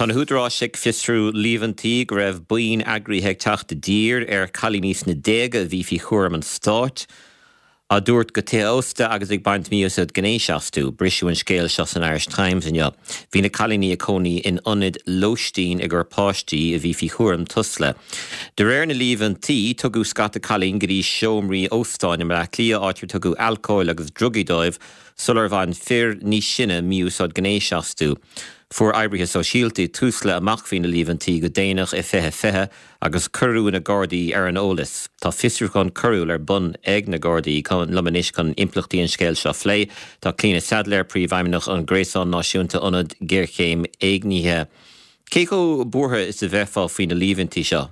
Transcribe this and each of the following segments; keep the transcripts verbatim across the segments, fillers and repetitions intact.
Tá na húdaráis ag fiosrú líomhaintí go raibh buíon eagraithe ag teacht i dtír ar chailíní sna déaga a bhí faoi chúram an stáit, á dtabhairt go tithe ósta agus ag baint mí-úsáid gnéis astu. Briseadh an scéal seo san Irish Times inniu. Bhí na cailíní ag cónaí in ionad lóistín i gcomhair páistí a bhí faoi chúram Tusla. De réir na líomhaintí tugadh scata cailín go dtí seomraí óstáin i mBleá Cliath áit ar tugadh alcól agus drugaí dóibh sular bhain fir níos sine mí-úsáid gnéis astu. Fuair oibrithe sóisialta Tusla amach faoi na líomhaintí go déanach i fiche fiche agus cuireadh na Gardaí ar an eolas. Tá fiosrúchán coiriúil ar bun ag na Gardaí liom anois chun impleachtaí an scéil seo a phlé. Tá Clíona Saidléar príomhfheidhmeannach an Gréasán Náisiúnta Ionad Géarchéim Éignithe. Cé chomh buartha is a bheifeá faoi na líomhaintí seo?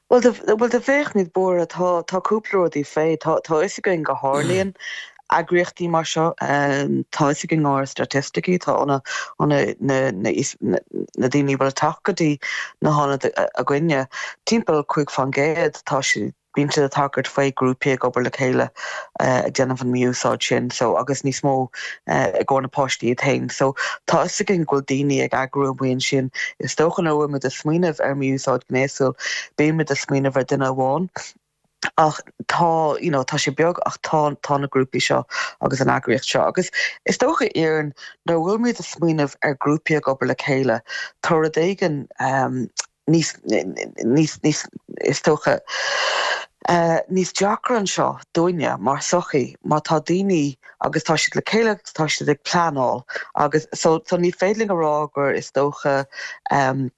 Well well do bheadh níos buartha tá tá cúpla rudaí fé tá tá fhios againn go tharlaíonn eagraíochtaí mar seo tá fhios againn ár staitisticí tá na na na daoine bhfuil teacht go dtí na hionaid againne timpeall cúig faoin gcéad tá siad bíonn siad ag tagairt faoi grúpaí ag obair le chéile ag déanamh an mí-úsáid sin so agus níos mó i gcomhair na páistí iad féin so tá fhios againn go bhfuil daoine ag eagrú amuigh ansin is dócha nuair a bhfuil muid ag smaoineamh ar mí-úsáid gnéasúil bímid ag smaoineamh ar duine amháin ach tá you know, tá sé beag ach tá tá na grúpaí seo agus an eagraíocht seo agus is dócha éan nuair bhfuil muid ag smaoineamh ar grúpaí ag obair le chéile tá rud éigin um, níos níos níos is dócha uh, níos deacra anseo dúinne mar sochaí má tá daoine agus tá siad le chéile tá siad ag pleanáil agus so, so ní féidir linn a rá gur is dócha um,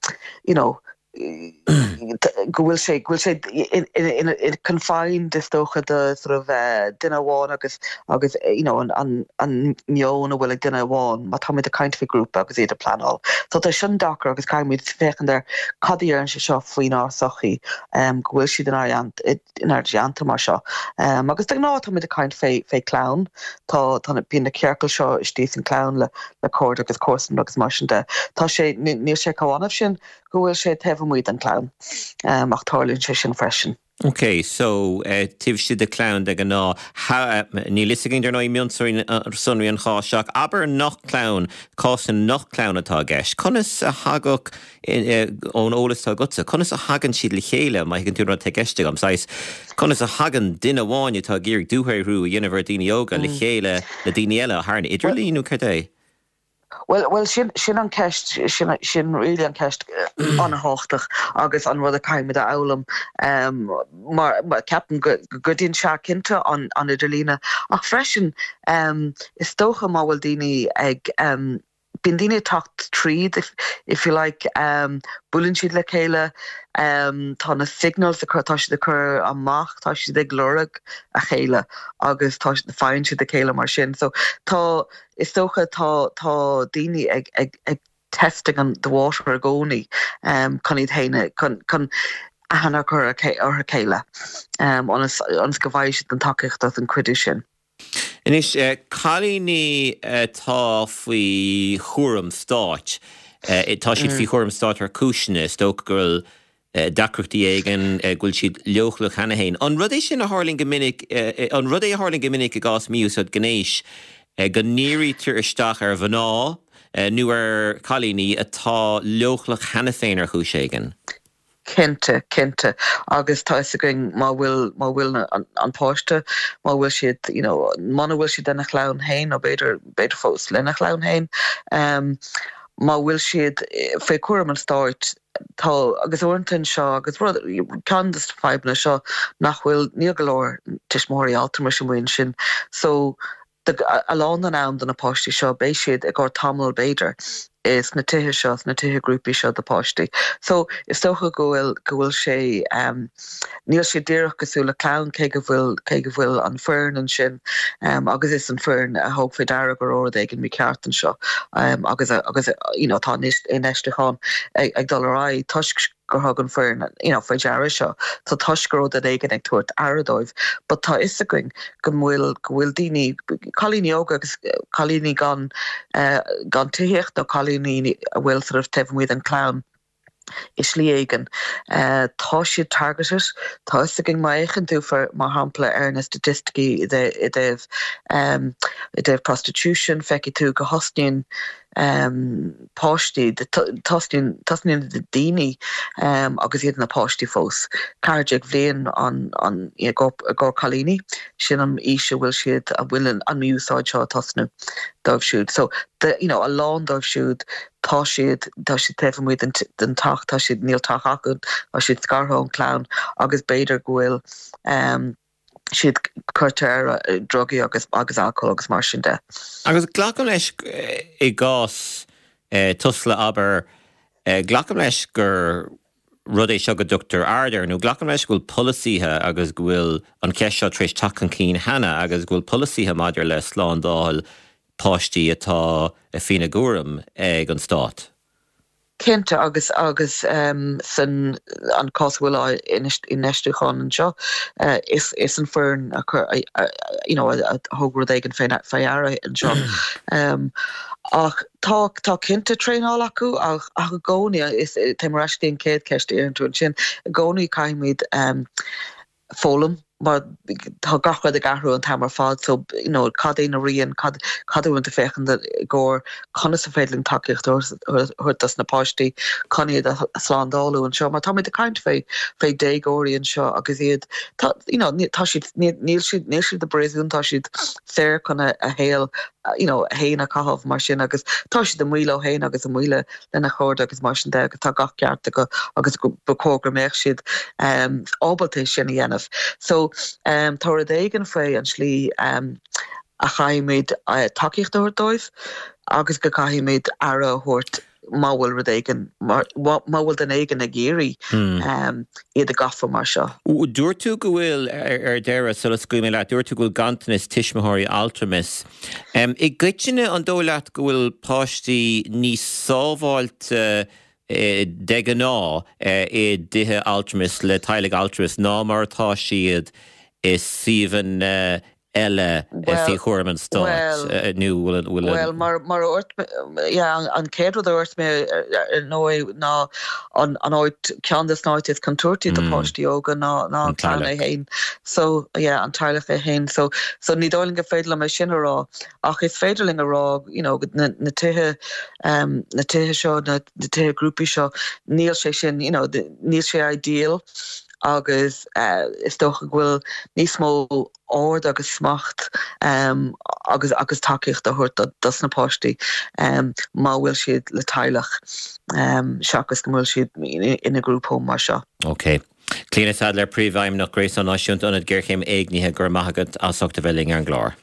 you know, go bhfuil sé go bhfuil sé confined is dócha de sort of uh, duine amháin agus agus you know, an, an, an meon a bhfuil ag duine amháin má tá ag caint faoi grúpa agus iad ag pleanáil. So tá sin deacair agus caithfimid féachaint ar cad a deireann sé seo faoinár sochaí um, go bhfuil siad inár inár dteannta mar seo. Um, agus de ghnáth tá ag caint fé fé clann tá tá bíonn na ciorcail seo istigh san clann le le cairde agus comharsan agus mar sin de. Tá sé níl sé chomh annamh sin go bhfuil sé taobh amuigh den clann um, ach tarlaíonn sé sin freisin. Ok, so uh, taobh istigh de clann de ghnáth níl fhios againn dar ndóigh mionsonraí an cháis seo abair nach clann cás nach clann atá i gceist. Conas a thagadh ón eolas atá agatsa, Conas a thagann siad le chéile má thuigeann tú rud atá i gceist agam saghas Conas a thagann duine amháin atá ag iarraidh dúshaothrú a dhéanamh ar daoine óga le chéile le daoine eile thar an idirlíon nó cad é? Well well sin sin an ceist sin sin really an ceist an-tábhachtach agus an rud a caithfimid a fhoghlaim um, mar, mar ceapaim go gcuidíonn sé cinnte an an idirlíon ach freisin um, is dócha má bhfuil daoine ag um, bíonn daoine teacht tríd if, if you like um, buaileann siad le chéile um, tá na signals a chur tá siad a chur amach tá siad ag lorg a chéile agus tá faigheann siad a chéile mar sin so tá is dócha tá tá daoine ag ag ag testing an the water i gcónaí um, chun iad féin chun chun aithne a chur ar a chéile um, ionas ionas go bhfaighidh siad an tacaíocht as an cuidiú sin. Anois cailíní atá faoi chúram stáit tá siad faoi chúram stáit ar chúiseanna is dócha go bhfuil deacrachtaí éigin go bhfuil siad leochaileach cheana féin. An rud é sin a tharlaíonn go minic an rud é a tharlaíonn go minic i gcás mí-úsáid gnéis go ndírítear isteach ar mhná nó ar cailíní atá leochaileach cheana féin ar chúis éigin. Cinnte cinnte agus tá againn má bhfuil má bhfuil an, an páiste má bhfuil siad you know, muna bhfuil siad lena chlann féin nó b'fhéidir b'fhéidir fós lena chlann féin um, má bhfuil siad faoi chúram an stáit tá agus uaireanta seo agus ceann de na fadhbanna seo nach bhfuil níl go leor tuismitheoirí altramais amuigh ansin so a lán den am do na páistí seo beidh siad i gcomhair tamall b'fhéidir is na tithe seo na tithe grúpaí seo do páistí. So is dócha go bhfuil go bhfuil sé um, níl sé díreach cosúil le clann cé go bhfuil cé go bhfuil an foireann ansin um, agus is an foireann a thug faoi deara go raibh rud éigin mícheart anseo um, agus agus you know, tá infheistíocht ag, ag dul ar aghaidh toisc gur thug an foireann you know, faoi deara seo Tá toisc go raibh duine éigin ag tabhairt aire dóibh, but tá fhios againn go bhfuil go bhfuil daoine cailíní óga agus cailíní gan uh, gan tithíocht nó cailíní a bhfuil sort of taobh amuigh den clann i slí éigin. Uh, tá siad targeted tá againn má fhéachann tú mar shampla ar na staitisticí i dtaobh um, i dtaobh prostitution feicfidh tú go thosnaíonn Páistí tosnaíonn tosnaíonn daoine um, agus iad na páistí fós. Ceathair déag bhliain an an i gcomhair cailíní sin an aois a bhfuil siad a bhfuil an mí-úsáid seo tosnú dóibh siúd. So the, you know, a lán dóibh siúd tá siad tá siad taobh amuigh den den teach tá siad níl teach acu tá siad scartha ón clann agus b'fhéidir go bhfuil um, siad curtha ar drugaí agus agus alcohol agus mar sin de. Agus glacaim leis i gcás eh, Tusla abair eh, glacaim leis gur rud é seo go dtugtar aird air nó glacaim leis go bhfuil polasaithe agus go bhfuil an cheist seo tar éis teacht chun cinn cheana agus go bhfuil polasaithe maidir le slándáil páistí atá faoina gcúram ag an stát. Cinnte agus agus um, san an cás bhfuil infheistiúchán anseo uh, is is an foireann a chur you know, a thug rud éigin faoi deara anseo. um, ach tá tá cinnte traenáil acu ach ach i gcónaí is tá mar an chéad cheist ar tú sin i gcónaí caithfimid um, foghlaim mar tá gach rud ag athrú an t-am ar fad so you know, cad é na rian cad cad tú féachann gur conas is féidir linn tacaíocht thabhairt dos na páistí chun iad a shlándáil anseo mar táimid ag caint fé fé déagóirí anseo agus iad tá you know, tá siad níl siad níl siad i bpríosún tá siad saor chun a shaol you know, féin a chaitheamh mar sin agus tá siad amuigh leo féin agus amuigh lena gcairde agus mar sin de agus tá gach ceart acu agus ba chóir go mbeadh siad um, ábalta sin a dhéanamh. So um, tá rud éigin faoi an slí um, a chaithfimid uh, tacaíocht a thabhairt dóibh agus go caithfimid aire a thabhairt má bhfuil rud éigin má bhfuil duine éigin ag iarraidh hmm. um, iad a ghabháil mar seo. Dúirt tú go bhfuil ar deireadh sula scaoilfidh mé leat, dúirt tú go bhfuil ganntanas tuismitheoirí altramais. Um, I gcoitinne an dóigh leat go bhfuil páistí níos sábháilte eh, de ghnáth eh, i dtithe altramais le teaghlaigh altramais ná mar atá siad i suíomhanna eile faoi chúram an stáit nó Well mar mar an chéad rud a dúirt mé nó ná an an áit ceann de na háit is contúirtí do mm. páistí óga ná ná an teaghlach féin so yeah, an teaghlach é féin so so ní dóigh gur féidir liom sin a rá ach is féidir linn a rá you know, na, na tithe um, na tithe seo na, na tithe grúpaí seo níl sé sin you know, níl sé ideal agus uh, is dócha go bhfuil níos mó ord agus smacht um, agus agus tacaíocht a thabhairt dos na páistí um, má bhfuil siad le teaghlach um, seachas go bhfuil siad ina group home mar seo. Ok. Clíona Saidléar príomhfheidhmeannach Gréasán Náisiúnta Ionad Géarchéime Éignithe go raibh maith agat as ucht a bheith linn ar an gclár.